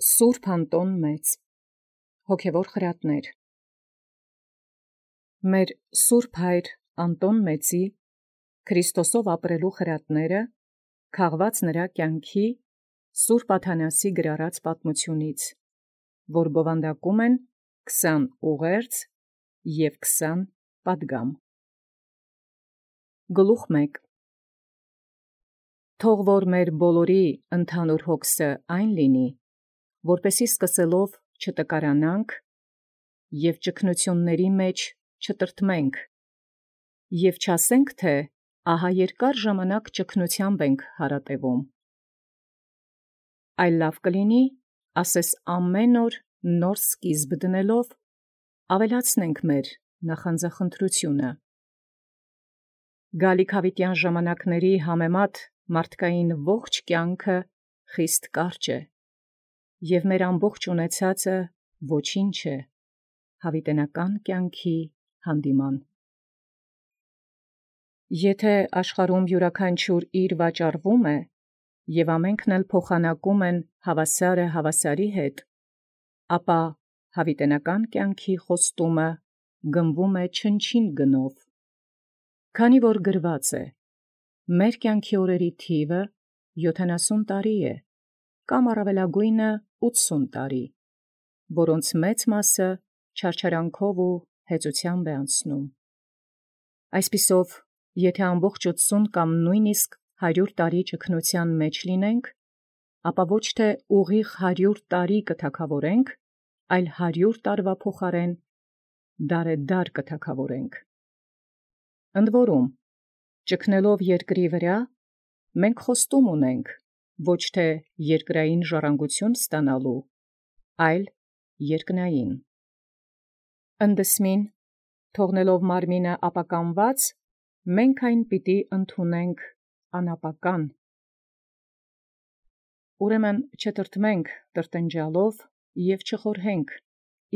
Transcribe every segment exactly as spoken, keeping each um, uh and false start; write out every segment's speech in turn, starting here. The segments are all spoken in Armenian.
Սուրբ Անտոն Մեծ, հոգևոր խրատներ, մեր Սուրբ Հայր Անտոն Մեծի Քրիստոսով ապրելու խրատները քաղված նրա կյանքի Սուրբ Աթանասի գրառած պատմությունից, որ բովանդակում են քսան ուղերձ և քսան պատգամ։ Գլուխ մեկ. Թող որ մեր բոլորի ընդհանուր հոգսը այն լինի, որպեսզի սկսելով չտկարանանք և ճգնությունների մեջ չտրտմենք, և չասենք, թե ահա երկար ժամանակ ճգնութեամբ ենք հարատևում, այլ լավ կլինի ասես ամեն օր նոր սկիզբ դնելով ավելացնենք մեր նախանձախնդրությունը։ Գալիքավիտյան ժամանակների համեմատ մարդկային ողջ կյանքը խիստ կարճ է, և մեր ամբողջ ունեցածը ոչինչ է հավիտենական կյանքի հանդիման։ Եթե աշխարհում յուրաքանչյուր իր վաճառվում է, և ամենքն էլ փոխանակում են հավասարը հավասարի հետ, ապա հավիտենական կյանքի խոստումը գնվում է չնչին գնով, քանի որ գրված է. «Մեր կյանքի օրերի թիվը յոթանասուն տարի է, կամ առավելագոյնը ութսուն տարի, որոնց մեծ մասը չարչարանքով ու հեծութեամբ է անցնում»։ Այսպիսով, եթե ամբողջ ութսուն կամ նոյնիսկ հարյուր տարի ճգնութեան մեջ լինենք, ապա ոչ թե ուղիղ հարյուր տարի կթագաւորենք, այլ հարյուր տարվա փոխարեն դարեդար կթագաւորենք։ Ընդ որում, ճգնելով երկրի վրա, մենք խոստում ունենք ոչ թե երկրային ժառանգություն ստանալու, այլ երկնային։ Ընդդէսմին, թողնելով մարմինը ապականված, մենք այն պիտի ընդունենք անապական։ Ուրեմն չտրտմենք տրտնջալով և չխորհենք,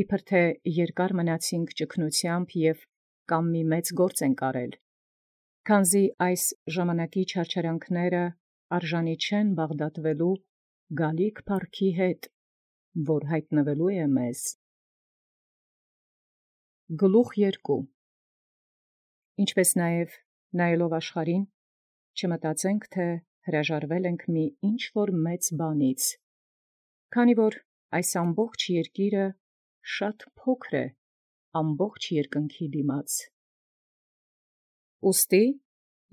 իբր թե երկար մնացիցենք ճգնութեամբ և կամ մի մեծ գործ ենք արել, քանզի այս ժամանակի չարչարանքները արժանի չեն բաղդատվելու գալիք փառքի հետ, որ յայտնվելու է մեզ։ Գլուխ երկու. Ինչպէս նաև նայելով աշխարհին, չմտածենք, թէ հրաժարվել ենք մի ինչ-որ մեծ բանից, քանի որ այս ամբողջ երկիրը շատ փոքր է ամբողջ երկնքի դիմաց։ Ուստի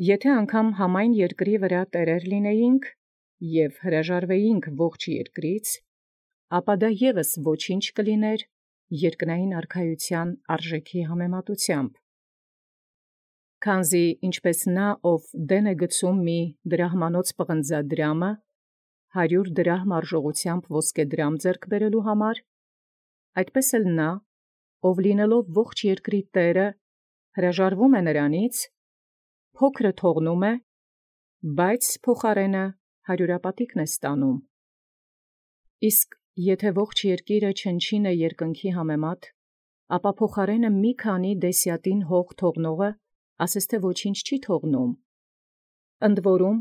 եթե անգամ համայն երկրի վրա տերեր լինեինք և հրաժարվեինք ողջ երկրից, ապա դա ևս ոչինչ կլիներ երկնային արքայութեան արժեքի համեմատութեամբ։ Քանզի ինչպէս նա, ով դեն է գցում մի դրահմանոց պղնձադրամը հարյուր դրահմ արժողութեամբ ոսկեդրամ ձեռք բերելոյ համար, այդպէս էլ նա, ով լինելով ողջ երկրի տէրը, հրաժարվում է նրանից, փոքրը թողնում է, բայց փոխարենը հարյուրապատիկն է ստանում։ Իսկ եթե ողջ երկիրը չնչին է երկնքի համեմատ, ապա փոխարենը մի քանի դեսյատին հող թողնողը ասես թէ ոչինչ չի թողնում։ Ընդ որում,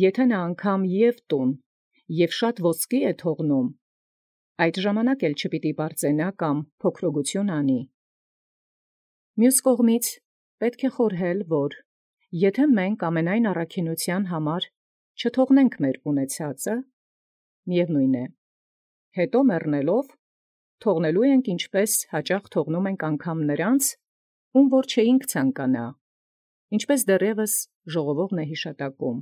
եթե նա անգամ և տուն և շատ ոսկի է թողնում, այդ ժամանակ էլ չպիտի պարծենա կամ փոքրոգութիւն անի։ Մյուս կողմից պետք է խորհել, որ եթե մենք ամենայն առաքինութեան համար չթողնենք մեր ունեցածը, միևնույն է, հետո մեռնելով թողնելու ենք ինչպես հաճախ թողնում ենք անգամ նրանց, ում որ չէինք ցանկանա, ինչպես դեռևս ժողովողն է յիշատակում։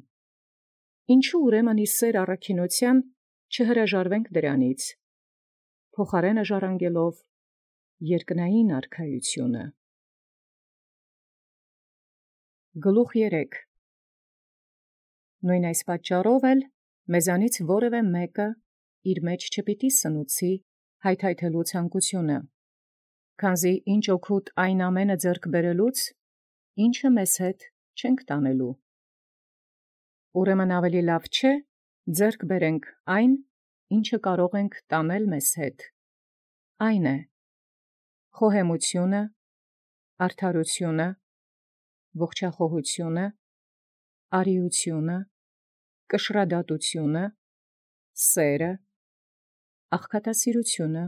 Ինչու ուրեմն ի սեր առաքինութեան չհրաժարվենք դրանից, փոխարենը ժառանգելով երկնային արքայութիւնը։ Գլուխ երեք. Նոյն այս պատճառով էլ մեզանից որևէ մեկը իր մեջ չպիտի սնուցի հայթայթելու ցանկութիւնը, քանզի ինչ օգուտ այն ամենը ձեռք բերելուց, ինչը մեզ հետ չենք տանելու։ Ուրեմն ավելի լավ չէ ձեռք բերենք այն, ինչը կարող ենք տանել մեզ հետ, այն է, խոհեմությունը, արդարությունը, ողջախոհությունը, արիությունը, կշռադատությունը, սերը, աղքատասիրությունը,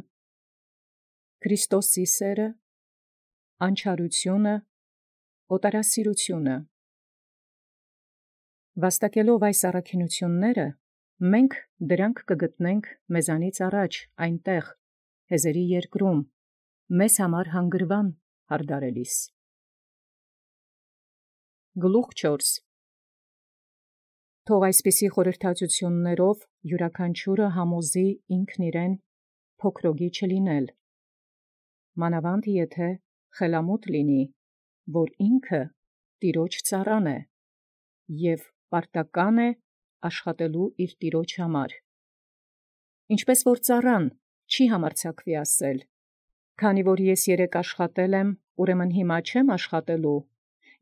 Քրիստոսի սերը, անչարությունը, օտարասիրությունը։ Վաստակելով այս առաքինութիւնները, մենք դրանք կգտնենք մեզանից առաջ այնտեղ, հեզերի երկրում, մեզ համար հանգրվան հարդարելիս։ Գլուխ չորս. Թող այսպիսի խորհրդածություններով յուրաքանչյուրը համոզի ինքն իրեն փոքրոգի չլինել, մանավանդ եթե խելամուտ լինի, որ ինքը տիրոջ ծառան է և պարտական է աշխատելու իր տիրոջ համար։ Ինչպես որ ծառան չի համարձակվի ասել. «Քանի որ ես երեկ աշխատել եմ, ուրեմն հիմա չեմ աշխատելու»,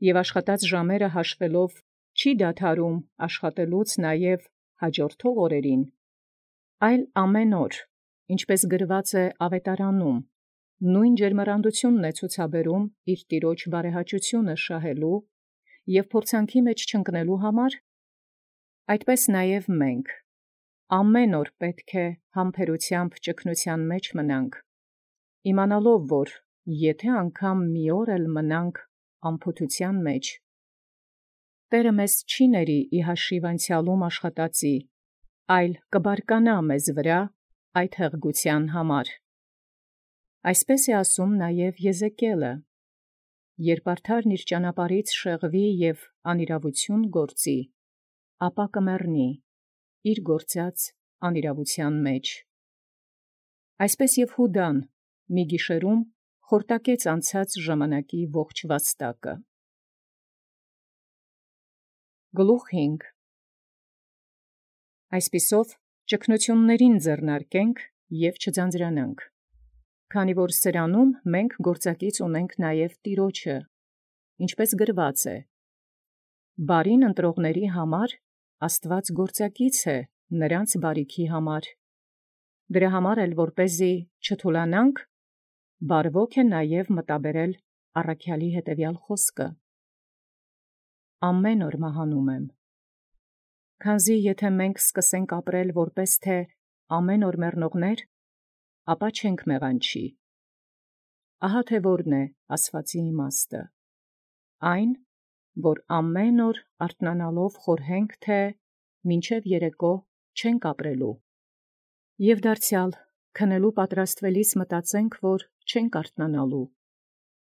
և աշխատած ժամերը հաշվելով չի դադարում աշխատելուց նաև հաջորդող օրերին, այլ ամեն օր, ինչպես գրված է ավետարանում, նույն ջերմեռանդությունն է ցուցաբերում իր տիրոջ բարեհաճությունը շահելու և փորձանքի մեջ չընկնելու համար, այդպես նաև մենք ամեն օր պետք է համբերութեամբ ճգնութեան մեջ մնանք, իմանալով, որ եթե անգամ մի օր էլ մնանք անփութութեան մեջ, Տէրը մեզ չի ների ի հաշիվ անցեալում աշխատածի, այլ կբարկանա մեզ վրա այդ հեղգութեան համար։ Այսպես է ասում նաև Եզեկիելը. «Երբ արդարն իր ճանապարհից շեղվի և անիրաւութիւն գործի, ապա կմեռնի իր գործած անիրաւութեան մեջ»։ Այսպես և Յուդան մի գիշերում խորտակեց անցած ժամանակի ողջ վաստակը։ Գլուխ հինգ. Այսպիսով ճգնութիւնացն ձեռնարկենք և չձանձրանանք, քանի որ սրանում մենք գործակից ունենք նաև Տիրոջը, ինչպես գրված է. «Բարին ընտրողների համար Աստուած գործակից է նրանց բարիքի համար»։ Դրա համար էլ որպեսզի չթուլանանք, բարվոք է նաև մտաբերել առաքեալի հետևյալ խոսքը. «Ամեն օր մահանում եմ»։ Քանզի եթե մենք սկսենք ապրել որպես թե ամեն օր մեռնողներ, ապա չենք մեղանչի։ Ահա թե որն է ասվածի իմաստը. այն, որ ամեն օր արթնանալով խորհենք, թե մինչև երեկո չենք ապրելու, և դարձյալ քնելու պատրաստվելիս մտածենք, որ չենք արթնանալու,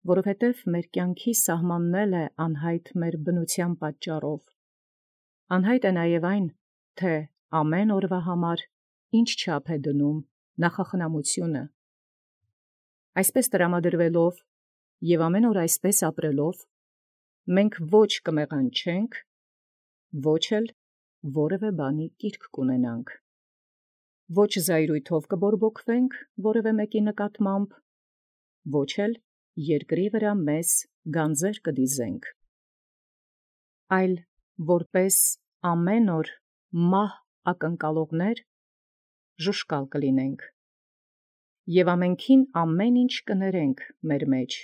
որովհետև մեր կյանքի սահմանն էլ է անհայտ մեր բնութեան պատճառով։ Անհայտ է նաև այն, թե ամեն օրվա համար ինչ չափ է դնում նախախնամությունը։ Այսպես տրամադրվելով և ամեն օր այսպես ապրելով, մենք ոչ կմեղանչենք, ոչ էլ որևէ բանի կիրք կունենանք, ոչ զայրույթով կբորբոքվենք որևէ մեկի նկատմամբ, ոչ էլ երկրի վրա մեզ գանձեր կդիզենք, այլ որպես ամեն օր մահ ակնկալողներ ժուշկալ կլինենք, և ամենքին ամեն ինչ կներենք մեր մեջ,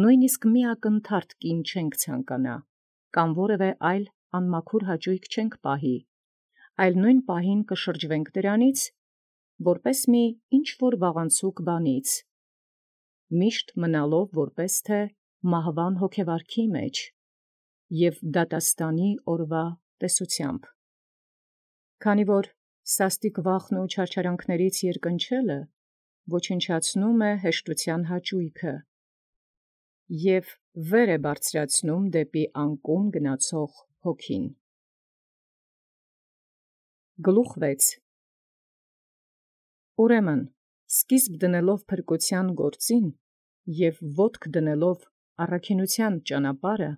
նույնիսկ մի ակնթարթ կին չենք ցանկանա, կամ որևէ այլ անմաքուր հաճոյք չենք պահի, այլ նույն պահին կշրջվենք դրանից, որպես մի ինչ-որ վաղանցուկ բանից, միշտ մնալով որպես թե մահվան հոգևարքի մեջ և դատաստանի օրվա տեսությամբ։ Քանի որ սաստիկ վախն ու չարչարանքներից երկնչելը ոչնչացնում է հեշտութեան հաճոյքը և վեր է բարձրացնում դեպի անկում գնացող հոգին։ Գլուխ վեց. Ուրեմն սկիզբ դնելով փրկութեան գործին և ոտք դնելով առաքինութեան ճանապարհը,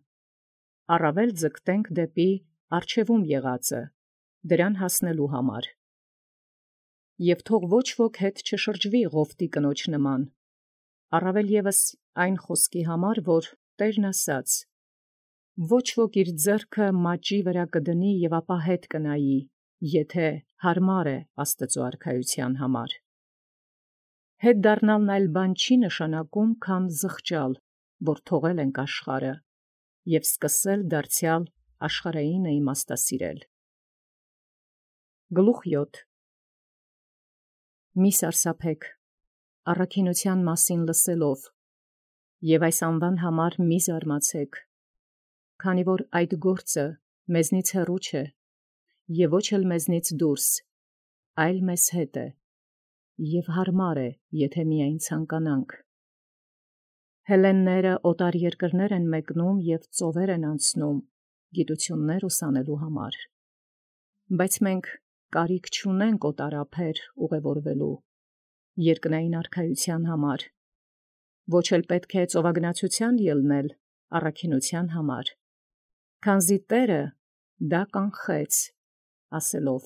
առավել ձգտենք դեպի առջևում եղածը, դրան հասնելու համար։ Եվ թող ոչ ոք հետ չշրջվի Ղովտի կնոջ նման, առավել ևս այն խոսքի համար, որ Տէրն ասաց. «Ոչ ոք իր ձեռքը մաճի վրա կդնի և ապա հետ կնայի, եթե հարմար է Աստուծոյ արքայութեան համար»։ Հետ դառնալն այլ բան չի նշանակում, քան զղջալ, որ թողել ենք աշխարհը, և սկսել դարձյալ աշխարհայինը իմաստասիրել։ Գլուխ յոթ. Մի սարսափեք առաքինության մասին լսելով, և այս անվան համար մի զարմացեք, քանի որ այդ գործը մեզնից հեռու չէ, և ոչ էլ մեզնից դուրս, այլ մեզ հետ է, և հարմար է, եթե միայն ցանկանանք։ Հելլենները օտար երկրներ են մեկնում և ծովեր են անցնում գիտություններ ուսանելու համար, բայց մենք կարիք չունենք օտարափեր ուղևորվելու երկնային արքայության համար, ոչ էլ պետք է ծովագնացութեան ելնել առաքինության համար, քանզի Տէրը դա կանխեց, ասելով.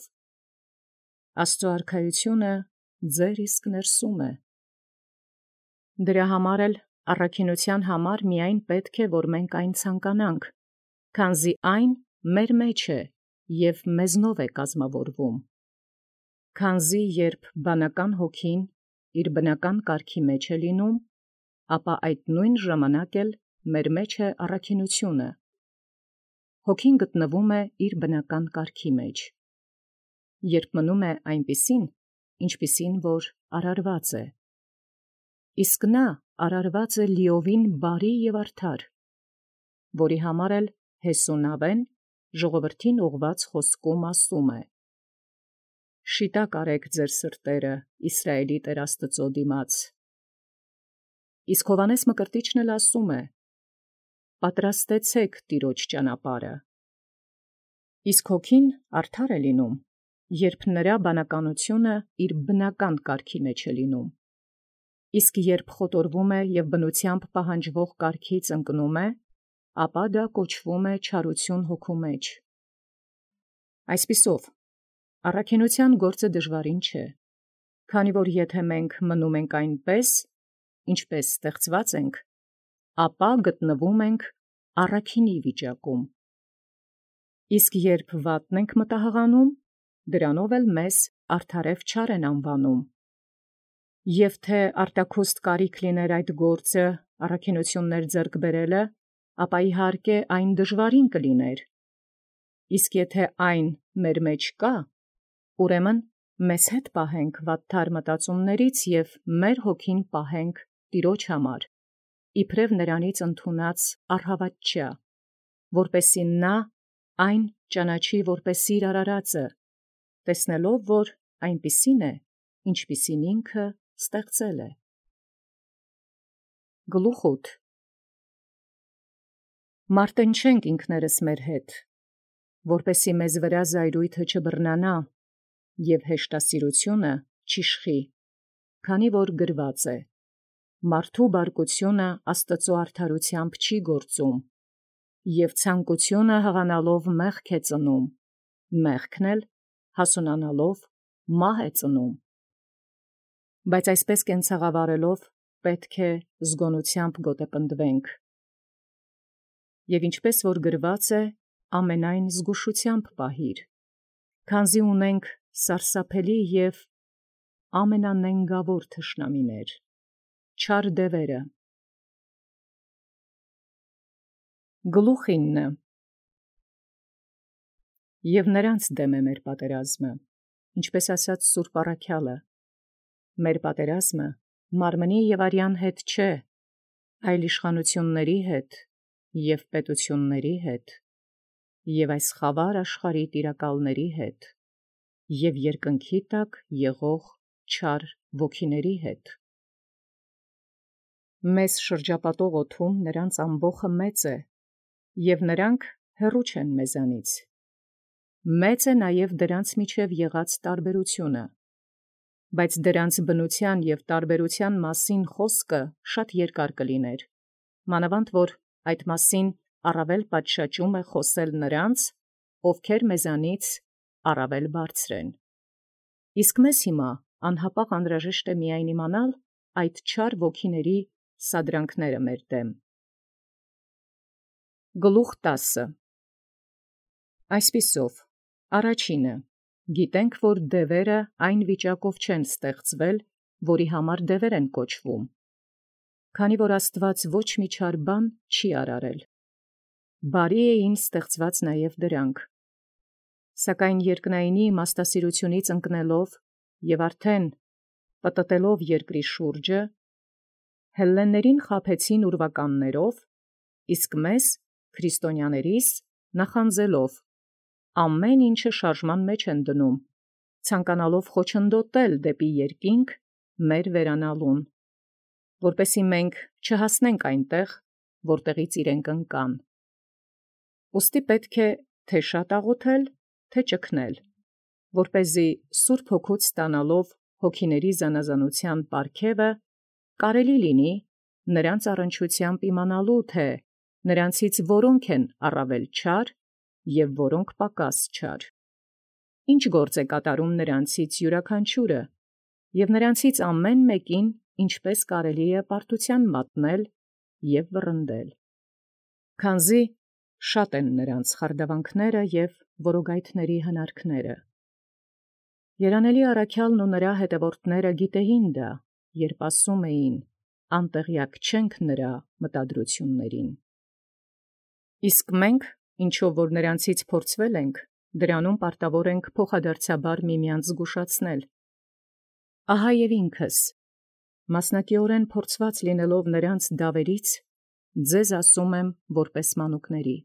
«Աստուծոյ արքայությունը ձեր իսկ ներսում է»։ Դրա համար էլ առաքինության համար միայն պետք է, որ մենք այն ցանկանանք, քանզի այն մեր մեջ է և մեզնով է կազմավորվում։ Քանզի երբ բանական հոգին իր բնական կարգի մեջ է լինում, ապա այդ նույն ժամանակ էլ մեր մեջ է առաքինությունը։ Հոգին գտնվում է իր բնական կարգի մեջ, երբ մնում է այնպիսին, ինչպիսին որ արարված է, իսկ նա արարված է լիովին բարի և արդար, որի համար էլ Հեսունավէն ժողովրդին ուղղված խոսքում ասում է. «Շիտակ արեք ձեր սրտերը Իսրայէլի Տեր Աստուծոյ դիմաց»։ Իսկ Հովհաննես Մկրտիչն էլ ասում է. «Պատրաստեցեք Տիրոջ ճանապարհը»։ Իսկ հոգին արդար է լինում, երբ նրա բանականությունը իր բնական կարգի մեջ է լինում, իսկ երբ խոտորվում է և բնությամբ պահանջվող կարգից ընկնում է, ապա դա կոչվում է չարություն հոգու մեջ։ Այսպիսով, առաքինության գործը դժվարին չէ, քանի որ եթե մենք մնում ենք այնպես, ինչպես ստեղծված ենք, ապա գտնվում ենք առաքինի վիճակում։ Իսկ երբ վատն ենք մտահղանում, դրանով էլ մեզ արդարև չար են անվանում։ Եվ թե արտաքուստ կարիք լիներ այդ գործը առաքինութիւններ ձեռք բերելը, ապա իհարկե այն դժվարին կլիներ, իսկ եթե այն մեր մեջ կա, ուրեմն մեզ հետ պահենք վատթար մտածումներից և մեր հոգին պահենք Տիրոջ համար, իբրև նրանից ընդունած առհավատչյա, որպեսզի նա այն ճանաչի որպես իր արարածը, տեսնելով, որ այնպիսին է, ինչպիսին ինքը ստեղծել է։ Գլուխ ութ. Մարտնչենք ինքներս մեր հետ, որպեսզի մեզ վրա զայրույթը չբռնանա և հեշտասիրությունը չիշխի, քանի որ գրված է. «Մարդու բարկությունը Աստուծոյ արդարութեամբ չի գործում, և ցանկությունը հղանալով մեղք է ծնում, մեղքն էլ հասունանալով մահ է ծնում»։ Բայց այսպես կենցաղավարելով պետք է զգոնությամբ գոտեպնդվենք։ Եվ ինչպես որ գրված է, ամենայն զգուշությամբ պահիր, քանզի ունենք սարսափելի և ամենանենգավոր թշնամիներ, չար դևերը։ Գլուխ ինը. Եվ նրանց դեմ է մեր պատերազմը, ինչպես ասաց Սուրբ առաքյալը. մեր պատերազմը մարմնի և արյան հետ չէ, այլ իշխանութիւնների հետ և պետութիւնների հետ, և այս խավար աշխարհի տիրակալների հետ, և երկնքի տակ եղող չար ոգիների հետ։ Մեզ շրջապատող օդում նրանց ամբոխը մեծ է, և նրանք հեռու չեն մեզանից. մեծ է նաև դրանց միջև եղած տարբերությունը, բայց դրանց բնութեան և տարբերութեան մասին խոսքը շատ երկար կլիներ, մանավանդ որ այդ մասին առավել պատշաճում է խոսել նրանց, ովքեր մեզանից առավել բարձր են։ Իսկ մեզ հիմա անհապաղ անհրաժեշտ է միայն իմանալ այդ չար ոգիների սադրանքները մեր դեմ։ Գլուխ տասը. Այսպիսով, առաջինը, գիտենք, որ դևերը այն վիճակով չեն ստեղծվել, որի համար դևեր են կոչվում, քանի որ Աստուած ոչ մի չար բան չի արարել։ Բարի էին ստեղծված նաև դրանք։ Սակայն երկնայինի իմաստասիրութիւնից ընկնելով և արդեն պտտելով երկրի շուրջը, հելլեններին խաբեցին ուրվականներով, իսկ մեզ քրիստոնյաներիս նախանձելով ամեն ինչը շարժման մեջ են դնում, ցանկանալով խոչընդոտել դեպի երկինք մեր վերանալուն, որպեսզի մենք չհասնենք այնտեղ, որտեղից իրենք ընկան։ Ուստի պետք է թե շատ աղոթել, թե ճգնել, որպեսզի Սուրբ Հոգուց ստանալով հոգիների զանազանության պարգևը կարելի լինի նրանց առնչությամբ իմանալու, թե նրանցից որոնք են առավել չար և որոնք պակաս չար, ինչ գործ է կատարում նրանցից յուրաքանչյուրը, և նրանցից ամեն մեկին ինչպես կարելի է պարտության մատնել և վռնդել, քանզի շատ են նրանց խարդավանքները և որոգայթների հնարքները։ Երանելի առաքյալն ու նրա հետևորդները գիտեին դա, երբ ասում էին. անտեղյակ չենք նրա մտադրություններին։ Իսկ մենք, ինչով որ նրանցից փորձվել ենք, դրանում պարտավոր ենք փոխադարձաբար միմյանց զգուշացնել։ Ահա և ինքս, մասնակիորեն փորձված լինելով նրանց դավերից, ձեզ ասում եմ որպես մանուկների.